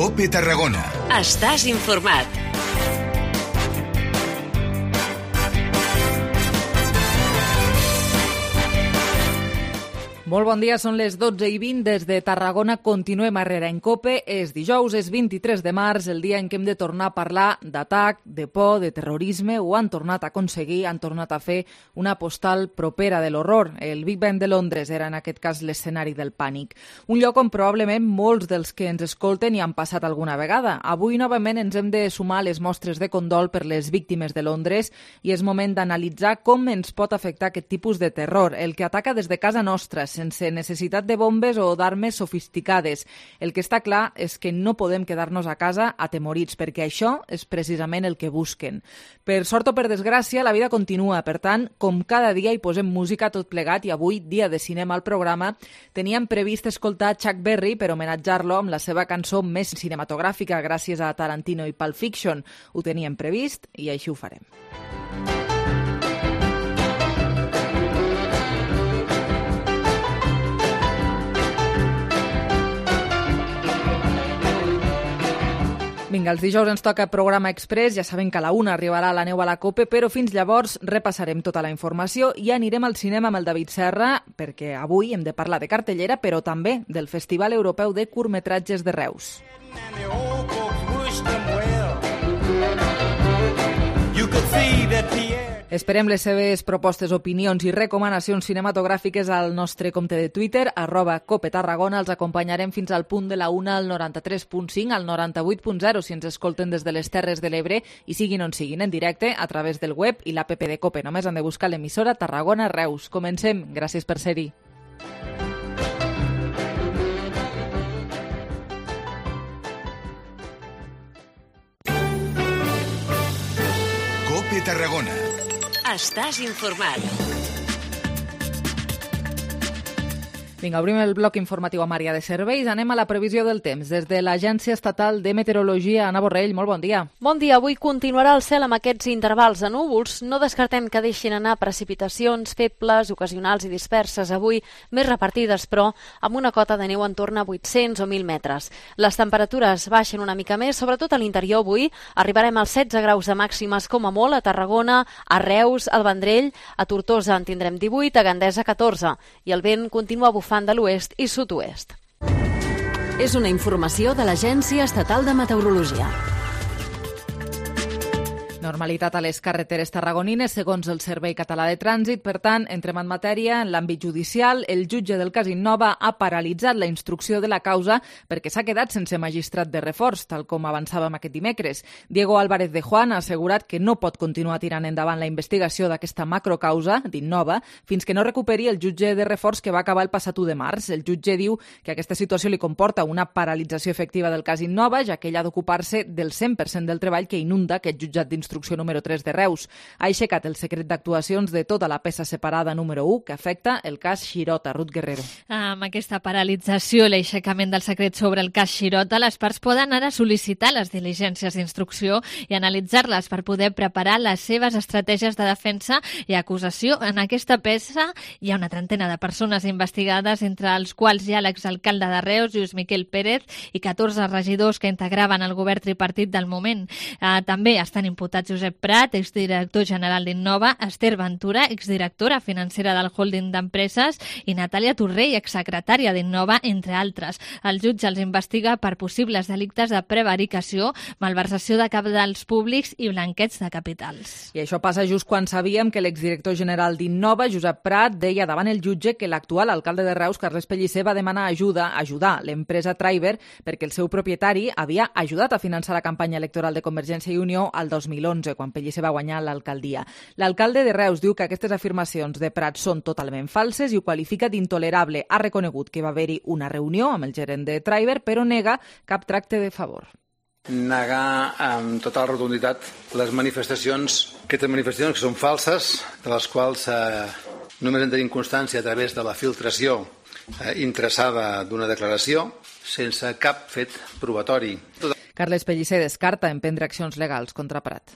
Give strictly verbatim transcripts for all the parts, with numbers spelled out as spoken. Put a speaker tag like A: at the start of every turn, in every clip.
A: COPE Tarragona.
B: Estàs informat.
C: Molt bon dia, són les dotze i vint des de Tarragona. Continuem a Herrera en COPE. És dijous, és vint-i-tres de març, el dia en què hem de tornar a parlar d'atac, de por, de terrorisme. Ho han tornat a aconseguir, han tornat a fer una postal propera de l'horror. El Big Ben de Londres era en aquest cas l'escenari del pànic. Un lloc on probablement molts dels que ens escolten hi han passat alguna vegada. Avui novament ens hem de sumar les mostres de condol per les víctimes de Londres i és moment d'analitzar com ens pot afectar aquest tipus de terror, el que ataca des de casa nostra, sense necessitat de bombes o d'armes sofisticades. El que està clar és que no podem quedar-nos a casa atemorits, perquè això és precisament el que busquen. Per sort o per desgràcia, la vida continua. Per tant, com cada dia hi posem música tot plegat i avui, dia de cinema al programa, teníem previst escoltar Chuck Berry per homenatjar-lo amb la seva cançó més cinematogràfica gràcies a Tarantino i Pulp Fiction. Ho teníem previst i així ho farem. Vinga, els dijous ens toca programa express, ja sabem que a la una arribarà la neu a la COPE, però fins llavors repassarem tota la informació i anirem al cinema amb el David Serra, perquè avui hem de parlar de cartellera, però també del Festival Europeu de Curtmetratges de Reus. Esperem les seves propostes, opinions i recomanacions cinematogràfiques al nostre compte de Twitter, arroba Cope Tarragona. Els acompanyarem fins al punt de la una al noranta-tres punt cinc, al noranta-vuit punt zero, si ens escolten des de les Terres de l'Ebre i siguin on siguin, en directe, a través del web i l'app de Cope. Només han de buscar l'emissora Tarragona Reus. Comencem. Gràcies per ser-hi.
A: COPE Tarragona.
B: Estàs informat.
C: Vinga, obrim el bloc informatiu amb àrea de serveis. Anem a la previsió del temps. Des de l'Agència Estatal de Meteorologia, Anna Borrell, molt bon dia.
D: Bon dia. Avui continuarà el cel amb aquests intervals de núvols. No descartem que deixin anar precipitacions febles, ocasionals i disperses. Avui més repartides, però amb una cota de neu en torn a vuit-cents o mil metres. Les temperatures baixen una mica més, sobretot a l'interior avui. Arribarem als setze graus de màximes com a molt a Tarragona, a Reus, al Vendrell, a Tortosa en tindrem divuit, a Gandesa catorze. I el vent continua bufant de l'oest i sud-oest.
B: És una informació de l'Agència Estatal de Meteorologia.
C: Normalitat a les carreteres tarragonines, segons el Servei Català de Trànsit. Per tant, entrem en matèria. En l'àmbit judicial, el jutge del cas Innova ha paralitzat la instrucció de la causa perquè s'ha quedat sense magistrat de reforç, tal com avançàvem aquest dimecres. Diego Álvarez de Juan ha assegurat que no pot continuar tirant endavant la investigació d'aquesta macrocausa d'Innova fins que no recuperi el jutge de reforç que va acabar el passat u de març. El jutge diu que aquesta situació li comporta una paralització efectiva del cas Innova, ja que ell ha d'ocupar-se del cent per cent del treball que inunda aquest jutjat d'instrucció Instrucció número tres de Reus. Ha aixecat el secret d'actuacions de tota la peça separada número u que afecta el cas Xirota. Ruth Guerrero.
E: Amb aquesta paralització i l'aixecament del secret sobre el cas Xirota, les parts poden ara sol·licitar les diligències d'instrucció i analitzar-les per poder preparar les seves estratègies de defensa i acusació. En aquesta peça hi ha una trentena de persones investigades, entre els quals hi ha l'exalcalde de Reus, Lluís Miquel Pérez, i catorze regidors que integraven el govern tripartit del moment. Eh, també estan imputats Josep Prat, exdirector general d'Innova, Esther Ventura, exdirectora financera del holding d'empreses, i Natàlia Torrell, exsecretària d'Innova, entre altres. El jutge els investiga per possibles delictes de prevaricació, malversació de cabals públics i blanqueig de capitals.
C: I això passa just quan sabíem que l'exdirector general d'Innova, Josep Prat, deia davant el jutge que l'actual alcalde de Reus, Carles Pellicer, va demanar ajuda, ajudar l'empresa Triber perquè el seu propietari havia ajudat a finançar la campanya electoral de Convergència i Unió al dos mil onze, quan Pellicer va guanyar l'alcaldia. L'alcalde de Reus diu que aquestes afirmacions de Prat són totalment falses i ho qualifica d'intolerable. Ha reconegut que va haver-hi una reunió amb el gerent de Triber, però nega cap tracte de favor.
F: Negar amb tota la rotunditat les manifestacions, aquestes manifestacions que són falses, de les quals eh, només en tenim constància a través de la filtració eh, interessada d'una declaració, sense cap fet probatori.
C: Carles Pellicer descarta emprendre accions legals contra Prat.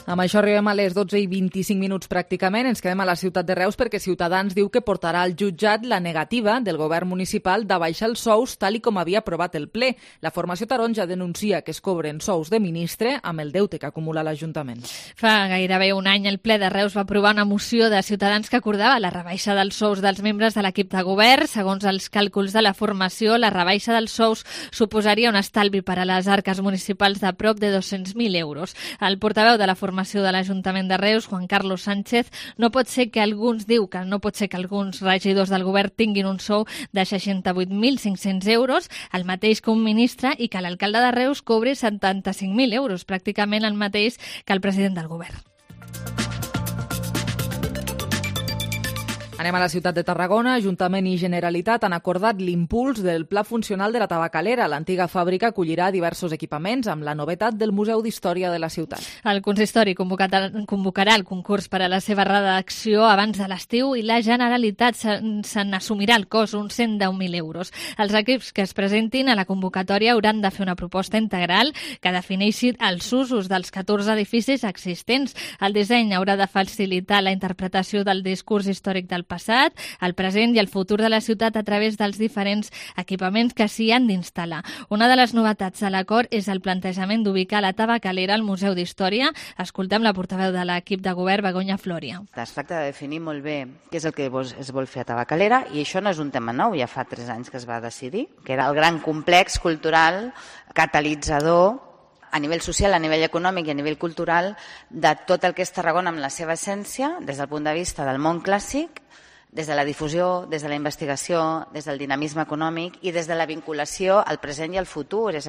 C: Amb això arribem a les dotze i vint-i-cinc minuts pràcticament. Ens quedem a la ciutat de Reus perquè Ciutadans diu que portarà al jutjat la negativa del govern municipal d'abaixar els sous tal i com havia aprovat el ple. La formació taronja denuncia que es cobren sous de ministre amb el deute que acumula l'Ajuntament.
E: Fa gairebé un any el ple de Reus va aprovar una moció de Ciutadans que acordava la rebaixa dels sous dels membres de l'equip de govern. Segons els càlculs de la formació, la rebaixa dels sous suposaria un estalvi per a les arques municipals de prop de dos-cents mil euros. El portaveu de la formació de l'Ajuntament de Reus, Juan Carlos Sánchez, no pot ser que alguns diu que no pot ser que alguns regidors del govern tinguin un sou de seixanta-vuit mil cinc-cents euros, el mateix que un ministre, i que l'alcalde de Reus cobri setanta-cinc mil euros, pràcticament el mateix que el president del govern.
C: Anem a la ciutat de Tarragona. Ajuntament i Generalitat han acordat l'impuls del pla funcional de la Tabacalera. L'antiga fàbrica acollirà diversos equipaments amb la novetat del Museu d'Història de la ciutat.
E: El consistori convocarà el concurs per a la seva redacció abans de l'estiu i la Generalitat se n'assumirà el cost, uns cent deu mil euros. Els equips que es presentin a la convocatòria hauran de fer una proposta integral que defineixi els usos dels catorze edificis existents. El disseny haurà de facilitar la interpretació del discurs històric del passat, el present i el futur de la ciutat a través dels diferents equipaments que s'hi han d'instal·lar. Una de les novetats de l'acord és el plantejament d'ubicar la Tabacalera al Museu d'Història. Escoltem la portaveu de l'equip de govern, Begoña Floria.
A: Es tracta de definir molt bé què és el que es vol fer a Tabacalera, i això no és un tema nou, ja fa tres anys que es va decidir, que era el gran complex cultural catalitzador a nivell social, a nivell econòmic i a nivell cultural de tot el que és Tarragona amb la seva essència, des del punt de vista del món clàssic, des de la difusió, des de la investigació, des del dinamisme econòmic i des de la vinculació al present i al futur. És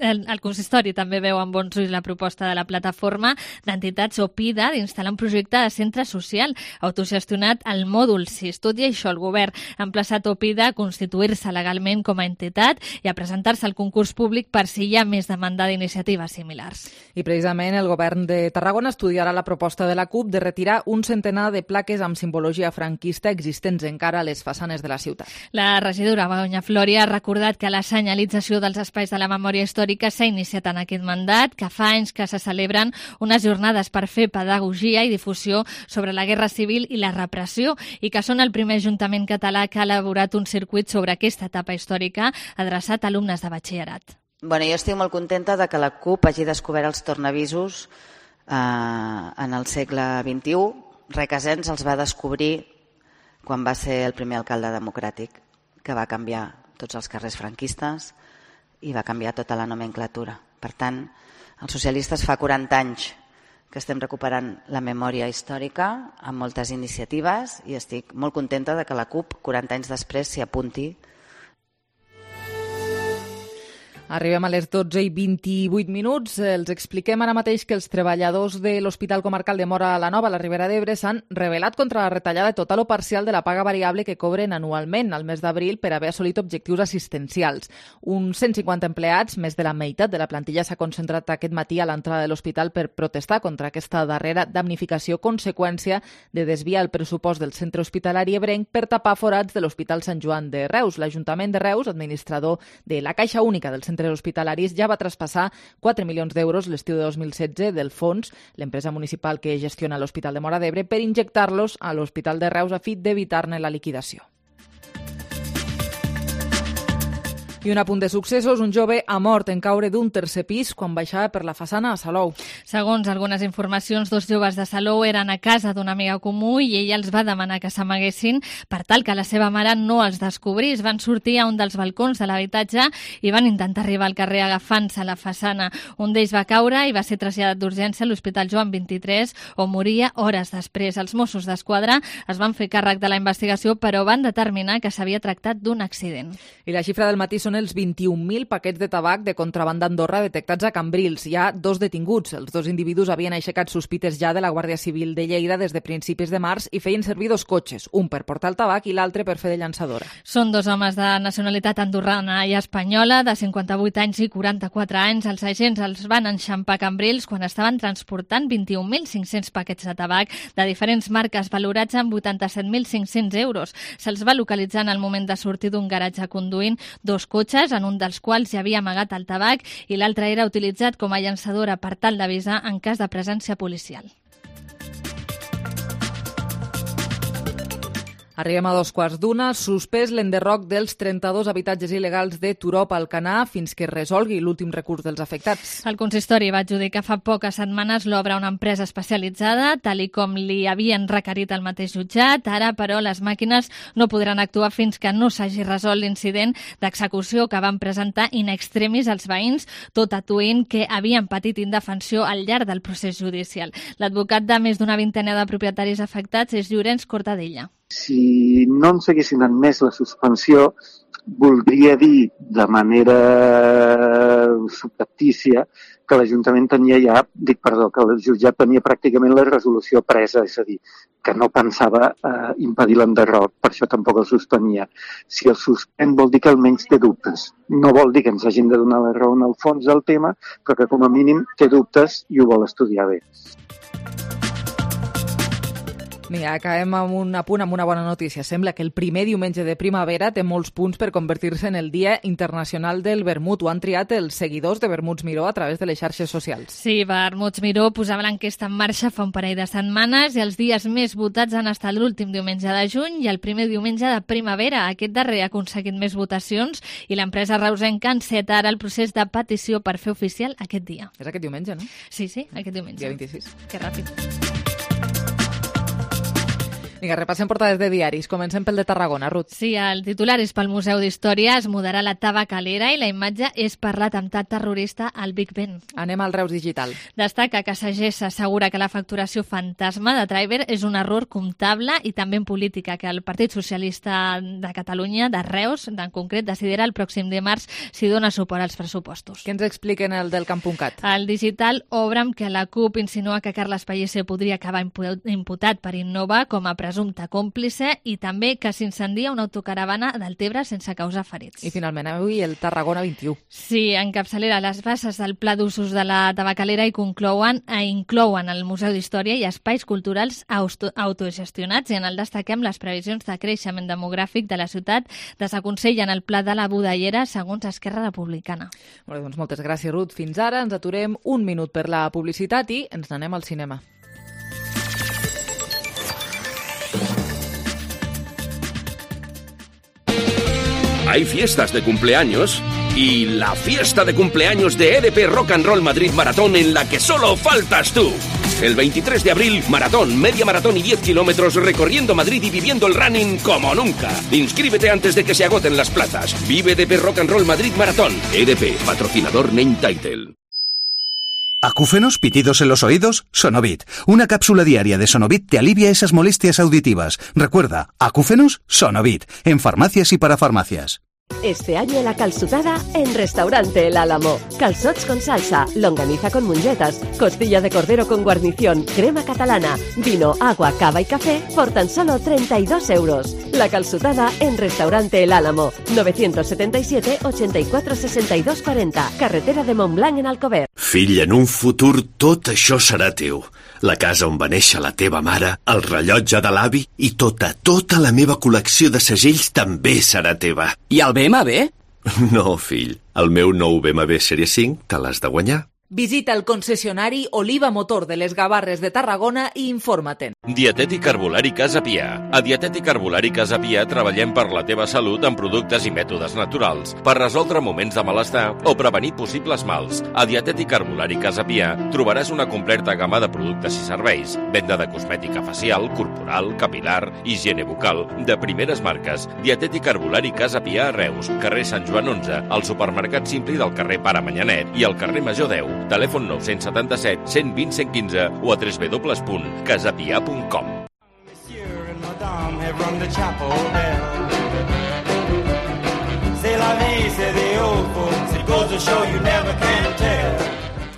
E: El, el consistori també veu amb bons ulls la proposta de la plataforma d'entitats OPIDA d'instal·lar un projecte de centre social autogestionat al mòdul sis. Tot i això, el govern ha emplaçat OPIDA a constituir-se legalment com a entitat i a presentar-se al concurs públic per si hi ha més demanda d'iniciatives similars.
C: I precisament el govern de Tarragona estudiarà la proposta de la CUP de retirar un centenar de plaques amb simbologia franquista existents encara a les façanes de la ciutat.
E: La regidora Begoña Floria ha recordat que la senyalització dels espais de la memòria històrica que s'ha iniciat en aquest mandat, que fa anys que se celebren unes jornades per fer pedagogia i difusió sobre la Guerra Civil i la repressió, i que són el primer ajuntament català que ha elaborat un circuit sobre aquesta etapa històrica adreçat a alumnes de batxillerat.
A: Bueno, jo estic molt contenta de que la CUP hagi descobert els tornavisos eh, en el segle vint-i-u. Requesens els va descobrir quan va ser el primer alcalde democràtic, que va canviar tots els carrers franquistes i va canviar tota la nomenclatura. Per tant, els socialistes fa quaranta anys que estem recuperant la memòria històrica amb moltes iniciatives i estic molt contenta de que la CUP, quaranta anys després, s'hi apunti.
C: Arribem a les dotze i vint-i-vuit minuts. Els expliquem ara mateix que els treballadors de l'Hospital Comarcal de Móra la Nova, a la Ribera d'Ebre, s'han rebel·lat contra la retallada total o parcial de la paga variable que cobren anualment al mes d'abril per haver assolit objectius assistencials. Uns cent cinquanta empleats, més de la meitat de la plantilla, s'ha concentrat aquest matí a l'entrada de l'hospital per protestar contra aquesta darrera damnificació, conseqüència de desviar el pressupost del centre hospitalari ebrenc per tapar forats de l'Hospital Sant Joan de Reus. L'Ajuntament de Reus, administrador de la Caixa Única del Centre hospitalaris, ja va traspassar quatre milions d'euros l'estiu de dos mil setze del fons, l'empresa municipal que gestiona l'Hospital de Móra d'Ebre, per injectar-los a l'Hospital de Reus a fi d'evitar-ne la liquidació. I un apunt de successos, un jove ha mort en caure d'un tercer pis quan baixava per la façana a Salou.
E: Segons algunes informacions, dos joves de Salou eren a casa d'una amiga comú i ella els va demanar que s'amaguessin per tal que la seva mare no els descobrís. Van sortir a un dels balcons de l'habitatge i van intentar arribar al carrer agafant-se la façana. Un d'ells va caure i va ser traslladat d'urgència a l'Hospital Joan vint-i-tres, on moria hores després. Els Mossos d'Esquadra es van fer càrrec de la investigació, però van determinar que s'havia tractat d'un accident.
C: I la xifra del matí són els vint-i-un mil paquets de tabac de contrabanda a Andorra detectats a Cambrils. Hi ha dos detinguts. Els dos individus havien aixecat sospites ja de la Guàrdia Civil de Lleida des de principis de març i feien servir dos cotxes, un per portar el tabac i l'altre per fer de llançadora.
E: Són dos homes de nacionalitat andorrana i espanyola, de cinquanta-vuit anys i quaranta-quatre anys. Els agents els van enxampar a Cambrils quan estaven transportant vint-i-un mil cinc-cents paquets de tabac de diferents marques valorats en vuitanta-set mil cinc-cents euros. Se'ls va localitzar en el moment de sortir d'un garatge conduint dos cotxes cotxes, en un dels quals hi havia amagat el tabac i l'altre era utilitzat com a llançadora per tal d'avisar en cas de presència policial.
C: Arribem a dos quarts d'una. Suspès l'enderroc dels trenta-dos habitatges il·legals de Turó a Alcanar fins que es resolgui l'últim recurs dels afectats.
E: El consistori va adjudicar fa poques setmanes l'obra a una empresa especialitzada, tal i com li havien requerit el mateix jutjat. Ara, però, les màquines no podran actuar fins que no s'hagi resolt l'incident d'execució que van presentar in extremis els veïns, tot atuint que havien patit indefensió al llarg del procés judicial. L'advocat de més d'una vintena de propietaris afectats és Llorenç Cortadella.
G: Si no ens haguessin admès la suspensió, voldria dir de manera subreptícia que l'Ajuntament tenia ja, dic perdó, que el jutjat tenia pràcticament la resolució presa, és a dir, que no pensava eh, impedir l'enderroc, per això tampoc el suspenia. Si el suspèn vol dir que almenys té dubtes. No vol dir que ens hagin de donar la raó en el fons del tema, però que com a mínim té dubtes i ho vol estudiar bé.
C: Mira, acabem amb un apunt, amb una bona notícia. Sembla que el primer diumenge de primavera té molts punts per convertir-se en el Dia Internacional del Vermut. Ho han triat els seguidors de Vermuts Miró a través de les xarxes socials.
E: Sí, Vermuts Miró posava l'enquesta en marxa fa un parell de setmanes i els dies més votats han estat l'últim diumenge de juny i el primer diumenge de primavera. Aquest darrer ha aconseguit més votacions i l'empresa reusenca enceta ara el procés de petició per fer oficial aquest dia.
C: És aquest diumenge, no?
E: Sí, sí, aquest diumenge.
C: Dia vint-i-sis.
E: Que ràpid.
C: Vinga, repassem portades de diaris. Comencem pel de Tarragona, Ruth.
E: Sí, el titular és pel Museu d'Història, es mudarà la tabacalera i la imatge és per l'atemptat terrorista al Big Ben.
C: Anem al Reus Digital.
E: Destaca que Sagés assegura que la facturació fantasma de Driver és un error comptable i també en política, que el Partit Socialista de Catalunya, de Reus, en concret, decidirà el pròxim dimarts si dona suport als pressupostos.
C: Què ens expliquen el del Camp.cat?
E: El Digital obre amb que la CUP insinua que Carles Pellicer podria acabar imputat per Innova com a presumpte còmplice i també que s'incendia una autocaravana del Tebre sense causar ferits.
C: I finalment avui el Tarragona vint-i-u.
E: Sí, en capçalera les bases del pla d'usos de la tabacalera i conclouen, eh, inclouen el Museu d'Història i espais culturals auto autogestionats i en el destaquem les previsions de creixement demogràfic de la ciutat desaconsellen el pla de la Budellera segons Esquerra Republicana.
C: Molt bé, doncs moltes gràcies, Ruth. Fins ara ens aturem un minut per la publicitat i ens n'anem al cinema.
H: Hay fiestas de cumpleaños y la fiesta de cumpleaños de E D P Rock and Roll Madrid Maratón en la que solo faltas tú. El veintitrés de abril, maratón, media maratón y diez kilómetros recorriendo Madrid y viviendo el running como nunca. Inscríbete antes de que se agoten las plazas. Vive E D P Rock and Roll Madrid Maratón. E D P, patrocinador Name Title.
I: ¿Acúfenos? ¿Pitidos en los oídos? Sonovit. Una cápsula diaria de Sonovit te alivia esas molestias auditivas. Recuerda, ¿acúfenos? Sonovit. En farmacias y para farmacias.
J: Este año la calçotada en Restaurante El Álamo. Calzots con salsa, longaniza con mungetas, costilla de cordero con guarnición, crema catalana, vino, agua, cava y café por tan solo treinta y dos euros. La calçotada en Restaurante El Álamo. novecientos setenta y siete, ochenta y cuatro, sesenta y dos, cuarenta. Carretera de Montblanc en Alcover.
K: Fill, en un futur tot això serà teu. La casa on va néixer la teva mare, el rellotge de l'avi i tota, tota la meva col·lecció de segells també serà teva.
L: I el B M W?
K: No, fill. El meu nou B M W Sèrie cinc te l'has de guanyar.
C: Visita el concessionari Oliva Motor de les Gavarres de Tarragona i informa-te'n.
M: Dietètic Herbolari Casa Pia. A Dietètic Herbolari Casa Pia treballem per la teva salut amb productes i mètodes naturals, per resoldre moments de malestar o prevenir possibles mals. A Dietètic Herbolari Casa Pia trobaràs una completa gamma de productes i serveis, venda de cosmètica facial, corporal, capilar, higiene bucal, de primeres marques. Dietètic Herbolari Casa Pia a Reus, carrer Sant Joan onze, al supermercat Simpli del carrer Pare Manyanet i al carrer Major deu. Telèfon nou cents setanta-set, cent vint, cent quinze o a w w w punt casapia punt com.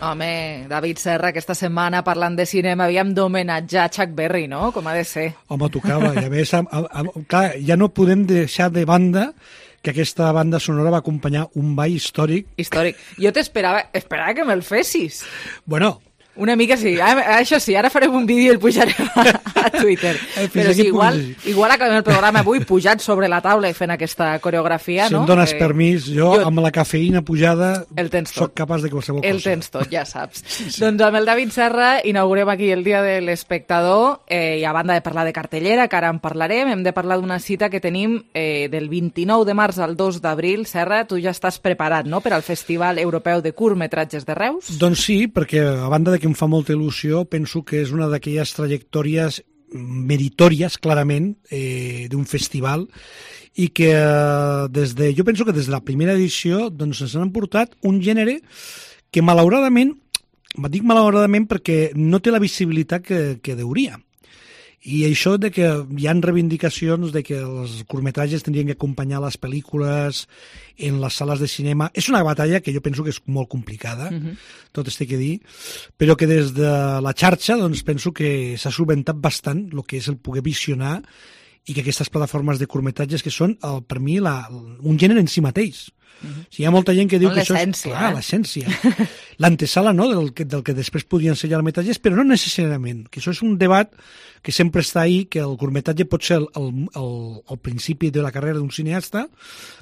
C: Home, David Serra, aquesta setmana parlant de cinema havíem d'homenatjar Chuck Berry, no? Com ha de ser.
N: Home, tocava. I a més, a, a, a, clar, ja no podem deixar de banda que aquesta banda sonora va acompanyar un ball històric.
C: Històric. Jo t'esperava esperava que me'l fessis.
N: Bueno,
C: Una mica sí, això sí, ara farem un vídeo i el pujarem a, a Twitter. Però sí, igual, igual acabem el programa avui pujat sobre la taula i fent aquesta coreografia,
N: si
C: no?
N: Si em dones
C: eh,
N: permís, jo, jo amb la cafeïna pujada soc capaç de qualsevol cosa.
C: El tens tot, ja saps. Sí, sí. Doncs amb el David Serra inaugurem aquí el Dia de l'Espectador eh, i a banda de parlar de cartellera, que ara en parlarem, hem de parlar d'una cita que tenim eh, del vint-i-nou de març al dos d'abril. Serra, tu ja estàs preparat, no?, per al Festival Europeu de Curtmetratges de Reus?
N: Doncs sí, perquè a banda de que em fa molta il·lusió, penso que és una d'aquelles trajectòries meritòries, clarament, eh, d'un festival, i que des de, jo penso que des de la primera edició doncs, ens han portat un gènere que malauradament, dic malauradament perquè no té la visibilitat que, que deuria. I això de que hi ha reivindicacions de que els curtmetratges tindrien que acompanyar les pel·lícules en les sales de cinema. És una batalla que jo penso que és molt complicada, uh-huh. tot es té que dir, però que des de la xarxa doncs, penso que s'ha solventat bastant el que és el poder visionar i que aquestes plataformes de curtmetratges que són, el, per mi, la, un gènere en si mateix. Uh-huh. Si hi ha molta gent que diu no, que això és clar, eh? L'essència, l'antesala, no?, del, que, del que després podien ser llargmetratges, però no necessàriament, que això és un debat que sempre està ahí, que el curtmetratge pot ser el, el, el, el principi de la carrera d'un cineasta,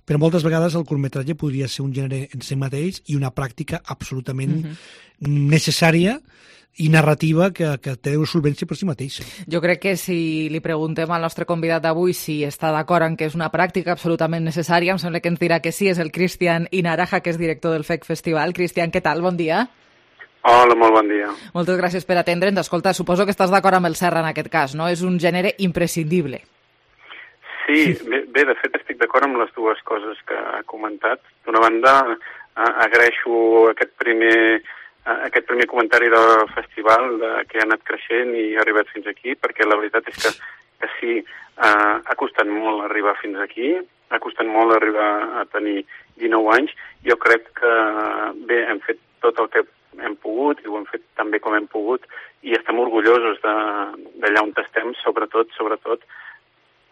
N: però moltes vegades el curtmetratge podria ser un gènere en si mateix i una pràctica absolutament uh-huh. necessària i narrativa que, que té una solvència per si mateixa.
C: Jo crec que si li preguntem al nostre convidat d'avui si està d'acord en que és una pràctica absolutament necessària, em sembla que ens dirà que sí, és el Cristian Inaraja, que és director del F E C Festival. Cristian, què tal? Bon dia.
L: Hola, molt bon dia.
C: Moltes gràcies per atendre'ns. Escolta, suposo que estàs d'acord amb el Serra en aquest cas, no? És un gènere imprescindible.
L: Sí, bé, bé de fet estic d'acord amb les dues coses que ha comentat. D'una banda, agraeixo aquest primer... aquest primer comentari del festival de, que ha anat creixent i ha arribat fins aquí, perquè la veritat és que, que sí, eh, ha costat molt arribar fins aquí, ha costat molt arribar a tenir dinou anys. Jo crec que, bé, hem fet tot el que hem pogut i ho hem fet tan bé com hem pogut i estem orgullosos d'allà on estem, sobretot, sobretot,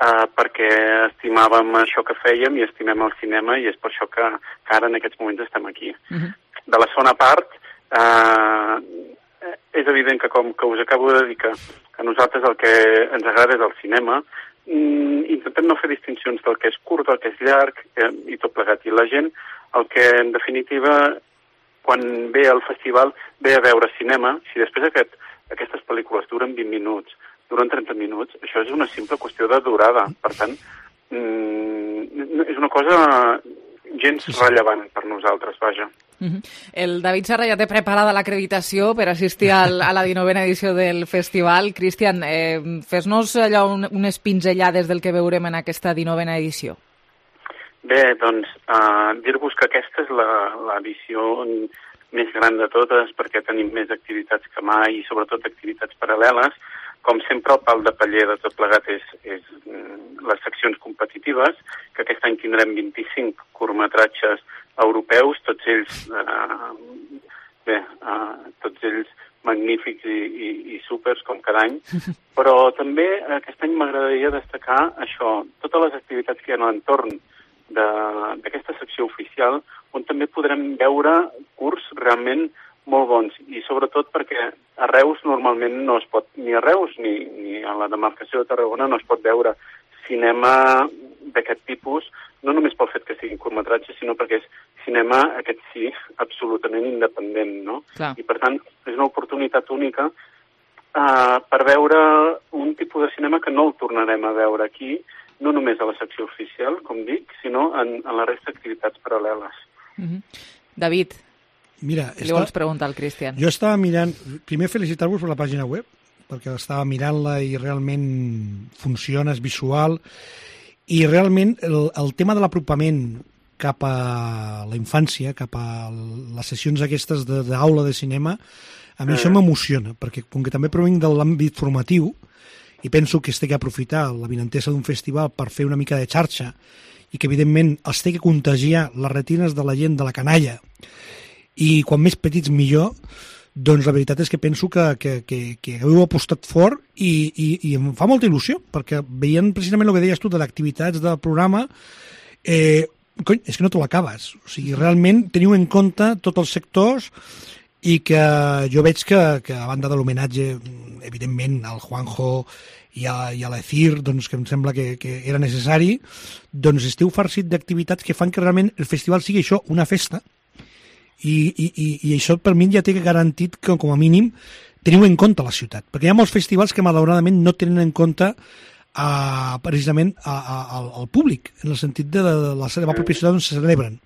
L: eh, perquè estimàvem això que fèiem i estimem el cinema i és per això que, que ara en aquests moments estem aquí. Uh-huh. De la segona part, Uh, és evident que, com que us acabo de dir que a nosaltres el que ens agrada és el cinema, mm, intentem no fer distincions del que és curt, del que és llarg eh, i tot plegat. I la gent, el que en definitiva, quan ve al festival, ve a veure cinema, si després aquest, aquestes pel·lícules duren vint minuts, duren trenta minuts, això és una simple qüestió de durada. Per tant, mm, és una cosa gens rellevant per nosaltres, vaja.
C: Uh-huh. El David Serra ja té preparada l'acreditació per assistir al, a la dinovena edició del festival. Cristian, eh, fes-nos allò un, unes pinzellades del que veurem en aquesta dinovena edició.
L: Bé, doncs, uh, dir-vos que aquesta és la, la edició més gran de totes perquè tenim més activitats que mai i sobretot activitats paral·leles. Com sempre, el pal de paller de tot plegat és, és les seccions competitives, que aquest any tindrem vint-i-cinc curtmetratges europeus, tots ells, eh, bé, eh, tots ells magnífics i, i, i súpers, com cada any, però també aquest any m'agradaria destacar això, totes les activitats que hi ha a l'entorn d'aquesta secció oficial, on també podrem veure curts realment molt bons, i sobretot perquè a Reus normalment no es pot, ni a Reus ni, ni a la demarcació de Tarragona no es pot veure cinema d'aquest tipus, no només pel fet que siguin curtmetratges, sinó perquè és cinema, aquest sí, absolutament independent, no?
C: Clar.
L: I per tant, és una oportunitat única uh, per veure un tipus de cinema que no el tornarem a veure aquí, no només a la secció oficial, com dic, sinó en, en la resta d'activitats paral·leles.
C: Mm-hmm. David,
N: Mira,
C: li vols preguntar al Cristian?
N: Jo estava mirant, primer felicitar-vos per la pàgina web, perquè estava mirant-la i realment funciona, és visual, i realment el, el tema de l'apropament cap a la infància, cap a les sessions aquestes d'aula de, de cinema, a mi mm. això m'emociona, perquè com que també provenc de l'àmbit formatiu, i penso que es té que aprofitar la vinentesa d'un festival per fer una mica de xarxa, i que evidentment es té que contagiar les retines de la gent, de la canalla, i quan més petits millor, doncs la veritat és que penso que, que, que, que heu apostat fort i, i, i em fa molta il·lusió, perquè veient precisament el que deies tu de l'activitats del programa, eh, cony, és que no te l'acabes. O sigui, realment teniu en compte tots els sectors i que jo veig que, que a banda de l'homenatge, evidentment, al Juanjo i a, i a l'Ecir, doncs, que em sembla que, que era necessari, doncs esteu farcit d'activitats que fan que realment el festival sigui això, una festa, i, i, i, i això per mi ja té garantit que, com a mínim, teniu en compte la ciutat, perquè hi ha molts festivals que malauradament no tenen en compte a, precisament a, a, al, al públic, en el sentit de, de la seva pròpia ciutat on se celebren.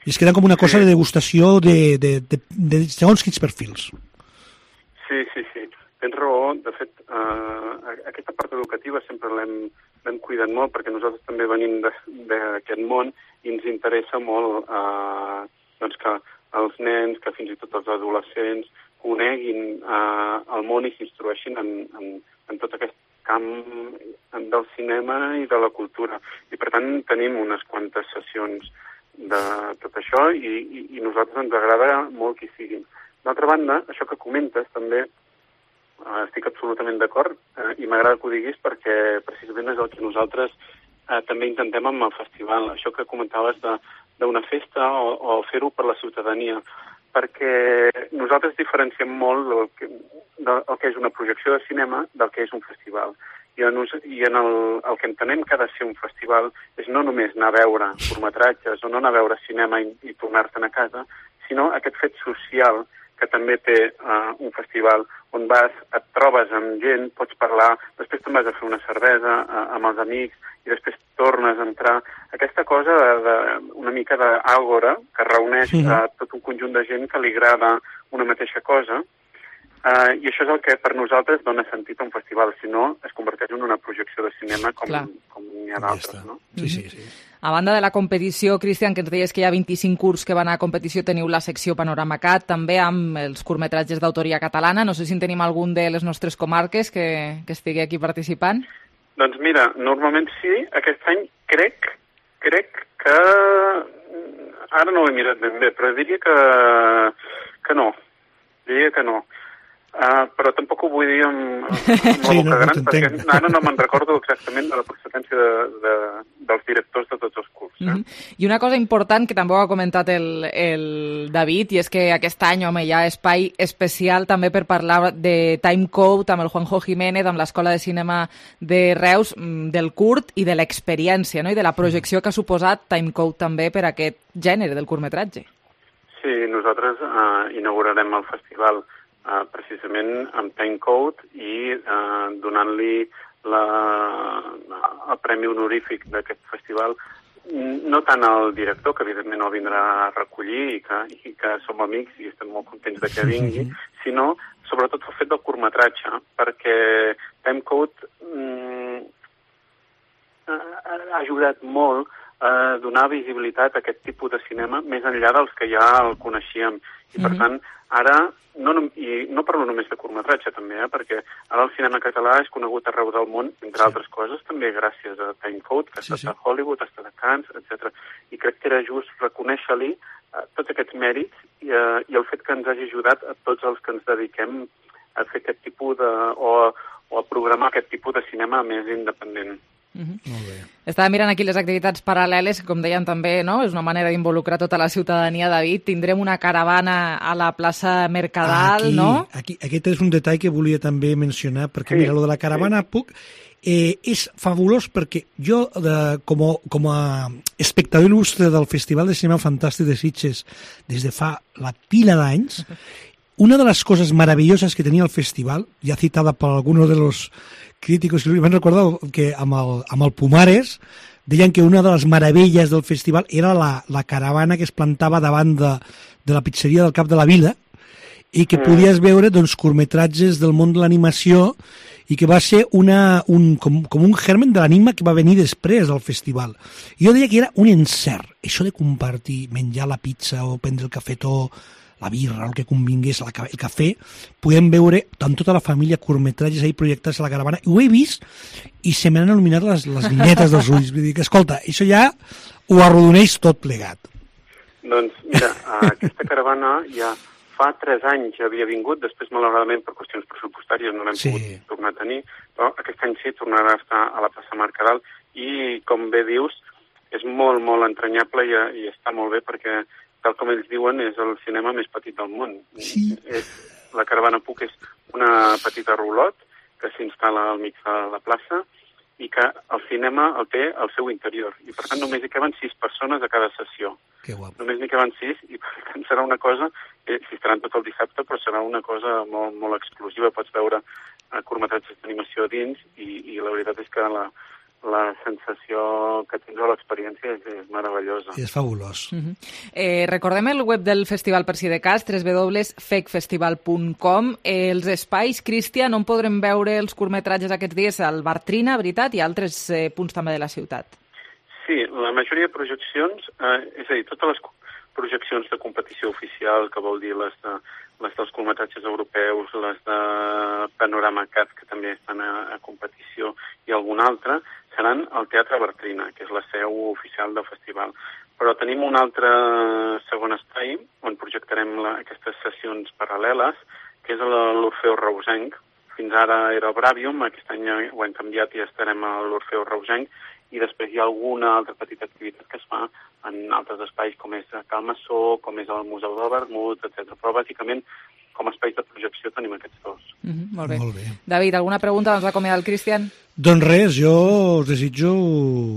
N: I es queda com una cosa de degustació de, de, de, de segons quins perfils.
L: Sí, sí, sí. Tens raó. De fet, eh, aquesta part educativa sempre l'hem cuidat molt perquè nosaltres també venim d'aquest món i ens interessa molt eh, doncs que els nens, que fins i tot els adolescents coneguin eh, el món i s'instrueixin en, en, en tot aquest camp del cinema i de la cultura. I per tant tenim unes quantes sessions de tot això i, i, i a nosaltres ens agrada molt que hi siguin. D'altra banda, això que comentes també eh, estic absolutament d'acord eh, i m'agrada que ho diguis perquè precisament és el que nosaltres eh, també intentem amb el festival. Això que comentaves d'una festa o, o fer-ho per la ciutadania, perquè nosaltres diferenciem molt el que, del, el que és una projecció de cinema del que és un festival. I en, i en el, el que entenem que ha de ser un festival és no només anar a veure curtmetratges o no anar a veure cinema i, i tornar-te'n a casa, sinó aquest fet social que també té uh, un festival on vas, et trobes amb gent, pots parlar, després te'n vas a fer una cervesa uh, amb els amics i després tornes a entrar. Aquesta cosa de, de, una mica d'àgora que reuneix sí. uh, tot un conjunt de gent que li agrada una mateixa cosa. Uh, I això és el que per nosaltres dona sentit a un festival, si no es converteix en una projecció de cinema com, com n'hi ha d'altres, no?
N: Sí, sí, sí.
C: A banda de la competició, Cristian, que ens deies que hi ha vint-i-cinc curts que van a competició, teniu la secció Panorama Cat, també amb els curtmetratges d'autoria catalana. No sé si en tenim algun de les nostres comarques que, que estigui aquí participant.
L: Doncs mira, normalment sí. Aquest any crec, crec que... Ara no ho he mirat ben bé, però diria que, que no. Diria que no. Uh, però tampoc ho vull dir amb, amb la
N: sí,
L: boca
N: no,
L: gran,
N: no
L: perquè ara no me'n recordo exactament de la procedència de, de, dels directors de tots els curts. Eh?
C: Mm -hmm. I una cosa important que també ho ha comentat el, el David, i és que aquest any, home, hi ha espai especial també per parlar de Timecode amb el Juanjo Jiménez, amb l'Escola de Cinema de Reus, del curt i de l'experiència, no? I de la projecció que ha suposat Timecode també per aquest gènere del curtmetratge.
L: Sí, nosaltres uh, inaugurarem el festival Uh, precisament amb Timecode i uh, donant-li el premi honorífic d'aquest festival, no tant al director, que evidentment el vindrà a recollir i que, i que som amics i estem molt contents de que vingui, sinó sobretot el fet del curtmetratge, perquè Timecode mm, ha ajudat molt a donar visibilitat a aquest tipus de cinema més enllà dels que ja el coneixíem. I per tant, ara, no, i no parlo només de curtmetratge també, eh, perquè ara el cinema català és conegut arreu del món, entre altres coses, també gràcies a Timecode, que ha estat sí, sí. a Hollywood, ha estat a Cannes, etcètera. I crec que era just reconèixer-li eh, tots aquests mèrits i, eh, i el fet que ens hagi ajudat a tots els que ens dediquem a fer aquest tipus de... o, o a programar aquest tipus de cinema més independent.
C: Mm-hmm. Molt bé. Estava mirant aquí les activitats paral·leles, que com deien també, no? És una manera d'involucrar tota la ciutadania, David. Tindrem una caravana a la plaça Mercadal,
N: aquí,
C: no?
N: Aquí, aquest és un detall que volia també mencionar, perquè sí, mira, lo de la caravana sí. puc... Eh, és fabulós perquè jo, de, com, a, com a espectador il·lustre del Festival de Cinema Fantàstic de Sitges des de fa la pila d'anys, una de les coses meravelloses que tenia el festival, ja citada per alguns de los críticos que m'han recordat que amb el, amb el Pumares deien que una de les meravelles del festival era la, la caravana que es plantava davant de, de la pizzeria del Cap de la Vila i que podies veure doncs, curtmetratges del món de l'animació i que va ser una, un, com, com un germen de l'anima que va venir després del festival. Jo deia que era un encert, això de compartir, menjar la pizza o prendre el cafetó, la birra, el que convingués, el cafè, podem veure amb tota la família curtmetratges ahí projectats a la caravana. I ho he vist i se m'han il·luminat les, les vinetes dels ulls. Vull dir que, escolta, això ja ho arrodoneix tot plegat.
L: Doncs, mira, aquesta caravana ja fa tres anys havia vingut, després, malauradament, per qüestions pressupostàries no l'hem sí. pogut tornar a tenir, però aquest any sí tornarà a estar a la plaça Mercadal i, com bé dius, és molt, molt entranyable i, i està molt bé perquè tal com ells diuen, és el cinema més petit del món.
N: Sí.
L: És, la Caravana Puc és una petita rulot que s'instal·la al mig de la plaça i que el cinema el té al seu interior. I, per tant, només hi caben sis persones a cada sessió.
N: Que guapo.
L: Només n'hi caben sis i, per tant, serà una cosa, eh, si estaran tot el dissabte, però serà una cosa molt, molt exclusiva. Pots veure eh, curtmetratges d'animació dins i, i la veritat és que la, la sensació que tens a l'experiència és, és meravellosa.
N: És fabulós.
C: Uh -huh. eh, recordem el web del festival per si de cas, w w w punt fec festival punt com. Eh, els espais, Cristian, on podrem veure els curtmetratges aquests dies? Al Bar Trina, veritat, i altres eh, punts també de la ciutat.
L: Sí, la majoria de projeccions, eh, és a dir, totes les projeccions de competició oficial, que vol dir les, de, les dels curtmetratges europeus, les de Panorama Cat, que també estan a, a competició, i algun altre, seran al Teatre Bartrina, que és la seu oficial del festival. Però tenim un altre segon espai on projectarem la, aquestes sessions paral·leles, que és l'Orfeo Reusenc. Fins ara era el Bravium, aquest any ho hem canviat i estarem a l'Orfeo Reusenc, i després hi ha alguna altra petita activitat que es fa en altres espais, com és Cal Massó, com és el Museu del Vermut, etcètera. Però bàsicament, com a espais de projecció, tenim aquests dos.
C: Uh -huh, molt bé.
N: Molt bé.
C: David, alguna pregunta abans d'acomiadar el Cristian?
N: Doncs res, jo us desitjo...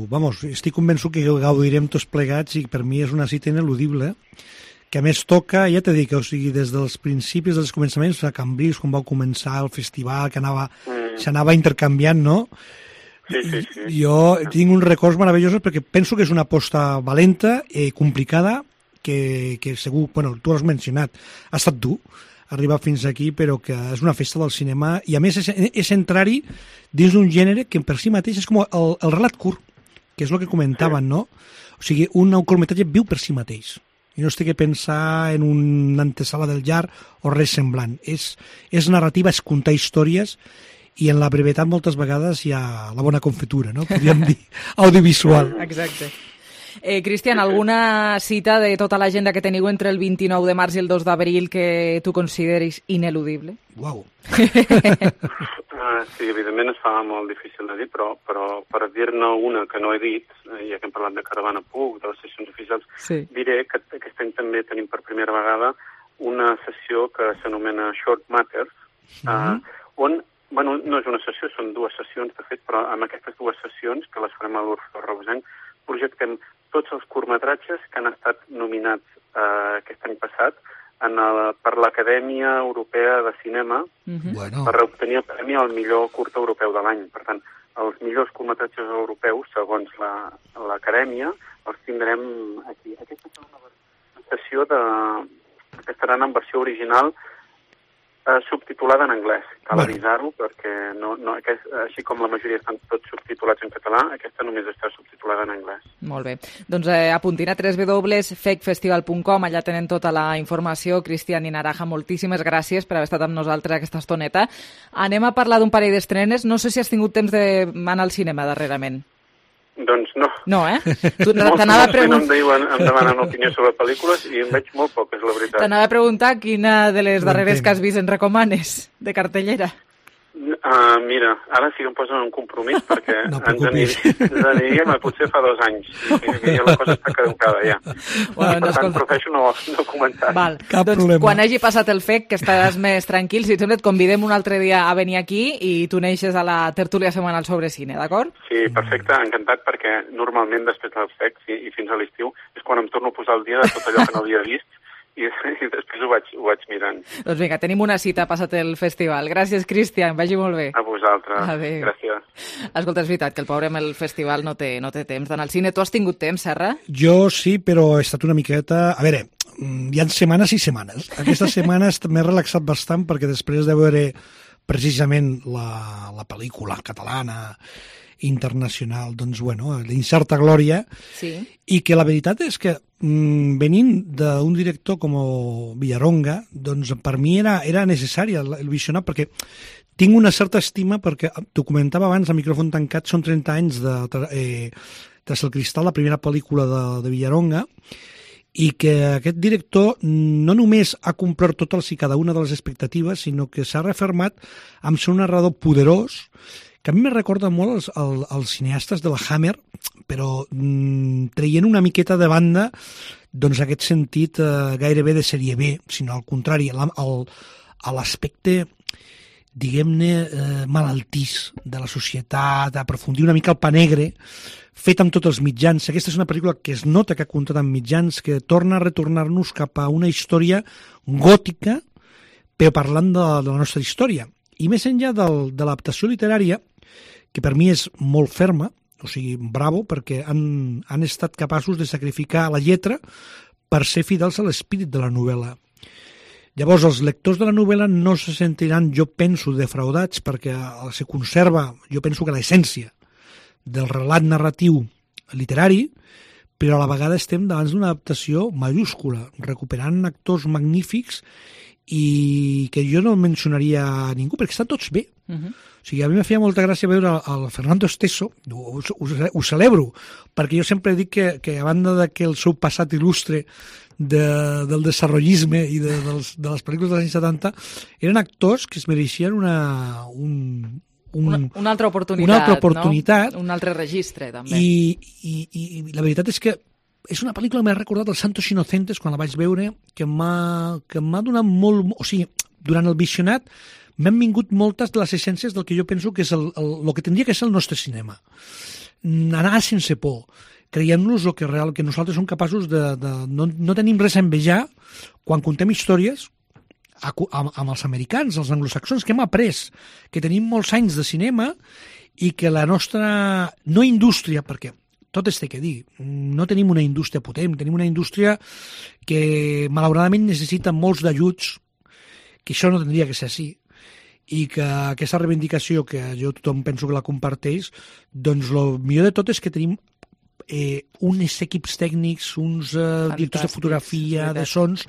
N: Vamos, estic convençut que gaudirem tots plegats i per mi és una cita ineludible, que a més toca, ja t'he dit, o sigui, des dels principis, dels començaments, a Cambrils, quan va començar el festival, que anava, mm. s'anava intercanviant, no?
L: Sí, sí, sí.
N: Jo tinc uns records meravellosos perquè penso que és una aposta valenta i complicada que, que segur, bueno, tu l'has mencionat, ha estat dur arribar fins aquí, però que és una festa del cinema i a més és, és entrar-hi dins d'un gènere que per si mateix és com el, el relat curt, que és el que comentaven, no? O sigui, un curtmetratge viu per si mateix i no es té que pensar en una antesala del llarg o res semblant. És, és narrativa, és contar històries i en la brevetat moltes vegades hi ha la bona confitura, no? Podríem dir audiovisual.
C: Exacte. Eh, Cristian, alguna cita de tota l'agenda que teniu entre el vint-i-nou de març i el dos d'abril que tu consideris ineludible?
N: Uau!
L: uh, sí, evidentment es fa molt difícil de dir, però, però per dir-ne una que no he dit, ja que hem parlat de Caravana Puc, de les sessions oficials,
C: sí.
L: diré que aquest any també tenim per primera vegada una sessió que s'anomena Short Matters, uh, mm-hmm. on bueno, no és una sessió, són dues sessions, de fet, però amb aquestes dues sessions, que les farem a l'Orfeo Reusenc, projectem tots els curtmetratges que han estat nominats eh, aquest any passat en el, per l'Acadèmia Europea de Cinema
N: mm-hmm. bueno.
L: per obtenir el premi al millor curt europeu de l'any. Per tant, els millors curtmetratges europeus, segons l'Acadèmia, la, els tindrem aquí. Aquesta és una sessió de, que estaran en versió original eh, subtitulada en anglès. Cal bueno. avisar-ho perquè no, no, aquest, així com la majoria estan tots subtitulats en català, aquesta només està subtitulada en anglès.
C: Molt bé. Doncs eh, apuntin a w w w punt fec festival punt com, allà tenen tota la informació. Cristian i Naraja, moltíssimes gràcies per haver estat amb nosaltres aquesta estoneta. Anem a parlar d'un parell d'estrenes. No sé si has tingut temps d'anar al cinema darrerament.
L: Doncs no.
C: No, eh? Tu
L: t'anava a preguntar... Molts em, em demanen opinió sobre pel·lícules i en veig molt poc, és la veritat.
C: T'anava a preguntar quina de les darreres que has vist en recomanes de cartellera.
L: Uh, mira, ara sí que em posen un compromís perquè no ens aniríem a potser fa dos anys i, i la cosa està caducada ja. Bueno, per tant, prefereixo no, no comentar.
C: Val. Doncs problema. Quan hagi passat el F E C, que estaràs més tranquil, si et sembla et convidem un altre dia a venir aquí i tu neixes a la tertúlia setmanal sobre cine, d'acord?
L: Sí, perfecte, encantat, perquè normalment després del F E C i, i fins a l'estiu és quan em torno a posar al dia de tot allò que no havia vist i, i després ho vaig, ho vaig mirant.
C: Doncs vinga, tenim una cita passat el festival. Gràcies, Cristian, vagi molt bé.
L: A vosaltres.
C: Adéu.
L: Gràcies.
C: Escolta, és veritat que el pobre amb el festival no té, no té temps d'anar al cine. Tu has tingut temps, Serra?
N: Jo sí, però he estat una miqueta... A veure, hi ha setmanes i setmanes. Aquesta setmana m'he relaxat bastant perquè després de veure precisament la, la pel·lícula catalana internacional, doncs, bueno, d'Incerta Glòria,
C: sí.
N: I que la veritat és que mmm, venint d'un director com Villaronga, doncs per mi era, era necessari el, el visionar, perquè tinc una certa estima, perquè t'ho comentava abans, a micròfon tancat, són trenta anys de eh, Tras el cristal, la primera pel·lícula de, de Villaronga, i que aquest director no només ha complert totes i cada una de les expectatives, sinó que s'ha refermat amb ser un narrador poderós, que a mi me recorda molt els, els, els cineastes de la Hammer, però mmm, traient una miqueta de banda doncs aquest sentit eh, gairebé de sèrie B, sinó al contrari, a l'aspecte, diguem-ne, eh, malaltís de la societat, aprofundir una mica el pa negre, fet amb tots els mitjans. Aquesta és una pel·lícula que es nota que ha comptat amb mitjans, que torna a retornar-nos cap a una història gòtica, però parlant de, de la nostra història. I més enllà del, de l'adaptació literària, que per mi és molt ferma, o sigui, bravo, perquè han, han estat capaços de sacrificar la lletra per ser fidels a l'espírit de la novel·la. Llavors, els lectors de la novel·la no se sentiran, jo penso, defraudats, perquè se conserva, jo penso que l'essència del relat narratiu literari, però a la vegada estem davant d'una adaptació majúscula, recuperant actors magnífics i que jo no mencionaria a ningú, perquè estan tots bé. Uh-huh. O sigui, a mi me feia molta gràcia veure el Fernando Esteso, ho, ho, ho celebro, perquè jo sempre dic que, que a banda de que el seu passat il·lustre de, del desarrollisme i de, dels, de les pel·lícules dels anys setanta eren actors que es mereixien una, un, un,
C: una, una altra oportunitat,
N: una altra oportunitat,
C: no? Un altre registre, també.
N: I, i, i la veritat és que és una pel·lícula que m'ha recordat els Santos Inocentes quan la vaig veure, que m'ha que m'ha donat molt... O sigui, durant el visionat m'han vingut moltes de les essències del que jo penso que és el, el, el que tindria que ser el nostre cinema. Anar sense por, creient-nos el que, real, que nosaltres som capaços de... de no, no tenim res a envejar quan contem històries amb, amb els americans, els anglosaxons, que hem après, que tenim molts anys de cinema i que la nostra... no indústria, perquè tot es té que dir, no tenim una indústria potent, tenim una indústria que malauradament necessita molts d'ajuts, que això no tindria que ser així, i que aquesta reivindicació, que jo tothom penso que la comparteix, doncs el millor de tot és que tenim eh, uns equips tècnics, uns eh, directors de fotografia, de sons,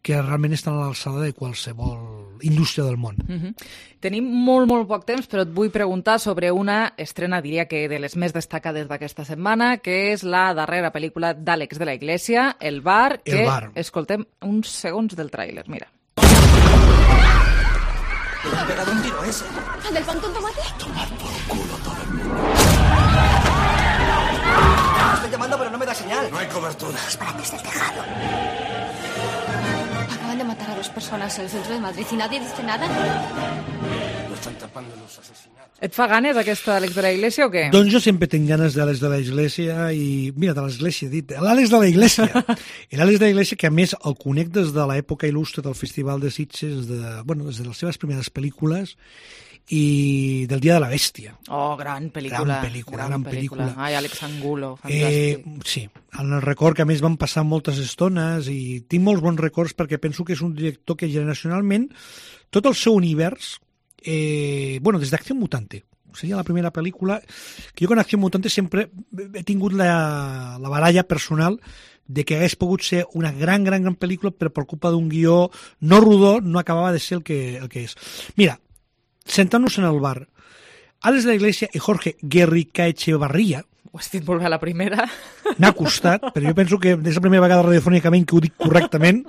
N: que realment estan a l'alçada de qualsevol indústria del món.
C: Uh-huh. Tenim molt, molt poc temps, però et vull preguntar sobre una estrena, diria que de les més destacades d'aquesta setmana, que és la darrera pel·lícula d'Àlex de la Iglesia, El bar, que
N: El bar.
C: Escoltem uns segons del tràiler, mira.
O: ¿Le ha pegado un tiro ese?
P: ¿Al del pan con tomate?
O: Tomar por culo todo el mundo. Estoy llamando, pero no me da señal. No hay cobertura.
P: Dispárate desde el tejado. Acaban de matar a dos personas en el centro de Madrid y nadie dice nada.
O: Lo están tapando los asesinatos.
C: Et fa ganes aquesta Àlex de la Iglesia o què?
N: Doncs jo sempre tinc ganes d'Àlex de la Iglesia i... Mira, de l'Església, he dit. L'Àlex de la Iglesia. L'Àlex de la Iglesia, que a més el conec des de l'època il·lustre del Festival de Sitges, de, bueno, des de les seves primeres pel·lícules i del Dia de la Bèstia.
C: Oh, gran pel·lícula.
N: Gran pel·lícula, gran, gran pel·lícula.
C: Ai, Àlex Angulo, fantàstic.
N: Eh, sí, en el record que a més van passar moltes estones i tinc molts bons records perquè penso que és un director que generacionalment tot el seu univers, eh, bueno, des d'Acció Mutante, seria la primera pel·lícula que jo con Acció Mutante sempre he tingut la, la baralla personal de que hagués pogut ser una gran, gran, gran pel·lícula, però per culpa d'un guió no rodó no acabava de ser el que, el que és. Mira, sentant-nos en el bar, Àlex de la Iglesia i Jorge Guerrica-Echevarría,
C: ho has dit molt bé a la primera.
N: M'ha costat, però jo penso que és la primera vegada radiofònicament que ho dic correctament,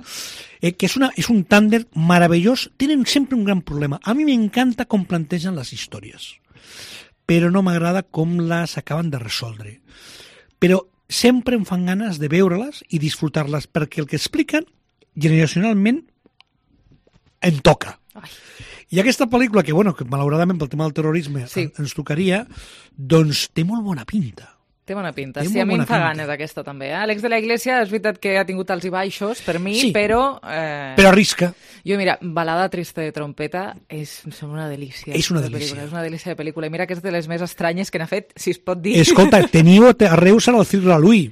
N: eh, que és, una, és un tàndem meravellós. Tenen sempre un gran problema. A mi m'encanta com plantegen les històries, però no m'agrada com les acaben de resoldre. Però sempre em fan ganes de veure-les i disfrutar-les, perquè el que expliquen generacionalment em toca. Ai. I aquesta pel·lícula, que, bueno, que malauradament pel tema del terrorisme sí. ens tocaria, doncs té molt bona pinta.
C: Té bona pinta. Té sí, a mi em fa ganes aquesta també. Eh? Àlex de la Iglesia, és veritat que ha tingut alts i baixos per mi,
N: sí,
C: però... Eh...
N: Però arrisca.
C: Jo, mira, Balada trista de trompeta és una delícia.
N: És una delícia.
C: És una delícia de pel·lícula. I mira que és de les més estranyes que n'ha fet, si es pot dir.
N: Escolta, teniu a Reus al Cirque Lalui.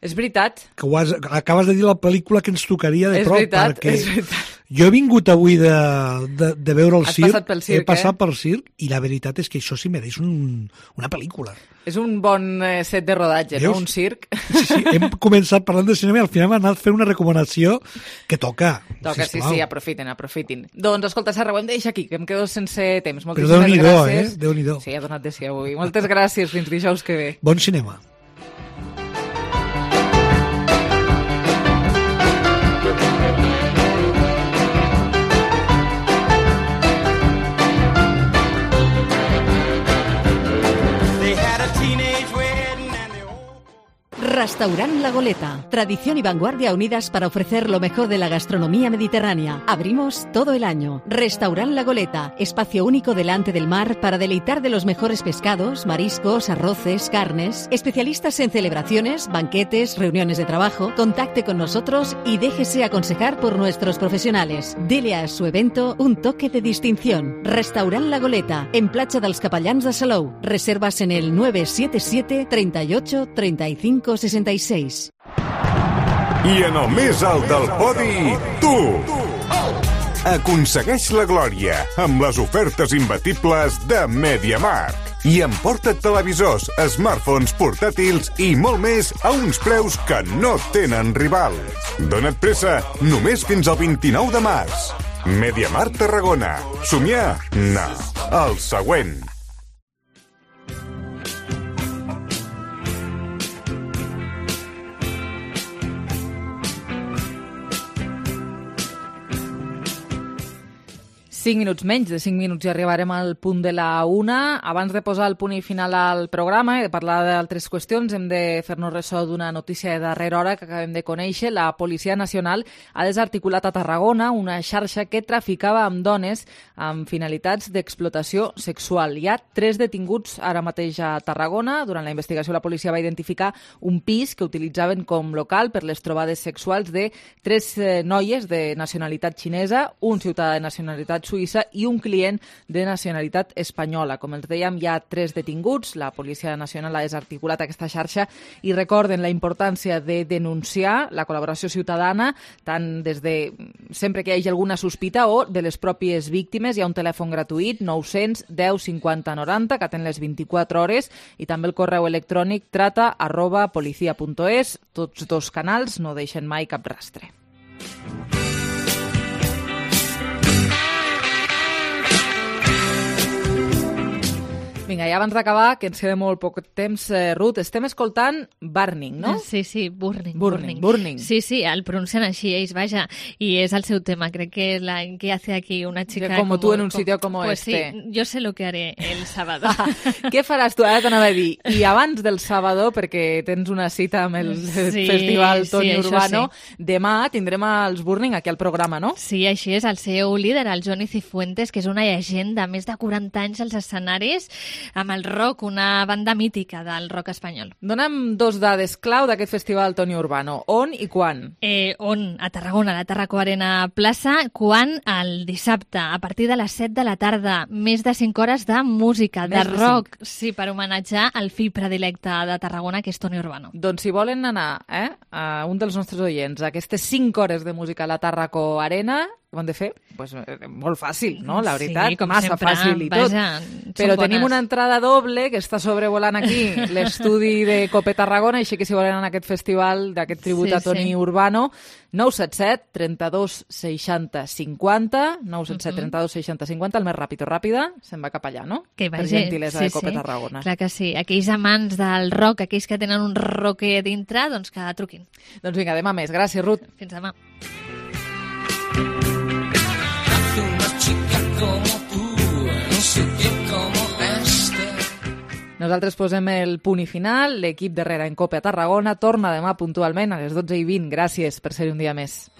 C: És veritat.
N: Que ho has, acabes de dir la pel·lícula que ens tocaria de
C: és
N: prop.
C: Veritat,
N: perquè
C: és veritat.
N: Jo he vingut avui de, de, de veure el
C: Has
N: circ.
C: Passat pel circ,
N: he passat
C: eh?
N: pel circ i la veritat és que això sí mereix un, una pel·lícula.
C: És un bon set de rodatge,
N: Veus?
C: no? Un circ.
N: Sí, sí, hem començat parlant de cinema i al final m'ha anat fent una recomanació que toca.
C: Toca, sí, sí, aprofitin, aprofitin. Doncs, escolta, Serra, ho hem de deixar aquí, que em quedo sense temps.
N: Però Déu-n'hi-do, eh? Déu-n'hi-do.
C: Sí, ha donat de si avui. Moltes gràcies, fins dijous que ve.
N: Bon cinema.
B: Restaurant La Goleta. Tradición y vanguardia unidas para ofrecer lo mejor de la gastronomía mediterránea. Abrimos todo el año. Restaurant La Goleta. Espacio único delante del mar para deleitar de los mejores pescados, mariscos, arroces, carnes. Especialistas en celebraciones, banquetes, reuniones de trabajo. Contacte con nosotros y déjese aconsejar por nuestros profesionales. Dele a su evento un toque de distinción. Restaurant La Goleta. En Platja dels Capellans de Salou. Reservas en el nueve siete siete, treinta y ocho, treinta y cinco, sesenta y seis.
Q: I en el més alt del podi, tu! Aconsegueix la glòria amb les ofertes imbatibles de MediaMarkt i emporta't televisors, smartphones, portàtils i molt més a uns preus que no tenen rival. Dona't pressa, només fins al vint-i-nou de març. MediaMarkt Tarragona. Somiar? No. El següent.
C: cinc minuts menys, de cinc minuts i arribarem al punt de la una. Abans de posar el punt i final al programa i de parlar d'altres qüestions, hem de fer-nos ressò d'una notícia de darrera hora que acabem de conèixer. La Policia Nacional ha desarticulat a Tarragona una xarxa que traficava amb dones amb finalitats d'explotació sexual. Hi ha tres detinguts ara mateix a Tarragona. Durant la investigació la policia va identificar un pis que utilitzaven com local per les trobades sexuals de tres eh, noies de nacionalitat xinesa, un ciutadà de nacionalitat suïssa i un client de nacionalitat espanyola. Com els dèiem, hi ha tres detinguts. La Policia Nacional ha desarticulat aquesta xarxa i recorden la importància de denunciar la col·laboració ciutadana, tant des de sempre que hi hagi alguna sospita o de les pròpies víctimes. Hi ha un telèfon gratuït, nou cents, deu, cinquanta, noranta, que atén les vint-i-quatre hores, i també el correu electrònic trata arroba policia punt es. Tots dos canals no deixen mai cap rastre. Vinga, i abans d'acabar, que ens queda molt poc temps, eh, Ruth, estem escoltant Burning, no?
E: Sí, sí, Burning.
C: Burning, Burning.
E: Sí, sí, el pronuncien així ells, vaja, i és el seu tema. Crec que la que hace aquí una chica...
C: Como, como tú en un sitio como
E: pues
C: este.
E: Sí, yo sé lo que haré el sábado.
C: Què faràs tu? Ara t'anava a dir. I abans del sábado, perquè tens una cita amb el sí, festival Toni sí, Urbano, sí. Demà tindrem els Burning aquí al programa, no?
E: Sí, així és. El seu líder, el Johnny Cifuentes, que és una llegenda, més de quaranta anys als escenaris, amb el rock, una banda mítica del rock espanyol.
C: Dona'm dos dades clau d'aquest festival Toni Urbano. On i quan?
E: Eh, on? A Tarragona, a la Tarraco Arena Plaça. Quan? El dissabte, a partir de les set de la tarda. Més de cinc hores de música, Més de rock. De sí, per homenatjar el fill predilecte de Tarragona, que és Toni Urbano.
C: Doncs si volen anar, eh, a un dels nostres oients, a aquestes cinc hores de música a la Tarraco Arena, ho han de fer? Pues, eh, molt fàcil, no? La veritat,
E: sí, com
C: massa
E: sempre,
C: fàcil i tot.
E: Vaja,
C: Però
E: bones.
C: Tenim una entrada doble que està sobrevolant aquí l'estudi de Cope Tarragona, així que si volen anar a aquest festival d'aquest tribut sí, a Toni sí. Urbano, nou set set, trenta-dos, seixanta, cinquanta, nou set set, trenta-dos, seixanta, cinquanta, el més ràpid o ràpida, se'n va cap allà, no?
E: Que vagi,
C: per gentilesa
E: sí,
C: de Cope
E: sí.
C: Tarragona.
E: Clar que sí. Aquells amants del rock, aquells que tenen un rocker dintre, doncs que truquin.
C: Doncs vinga, demà més. Gràcies, Ruth.
E: Fins demà.
C: Nosaltres posem el punt i final. L'equip darrere en Cope a Tarragona torna demà puntualment a les dotze i vint. Gràcies per ser un dia més.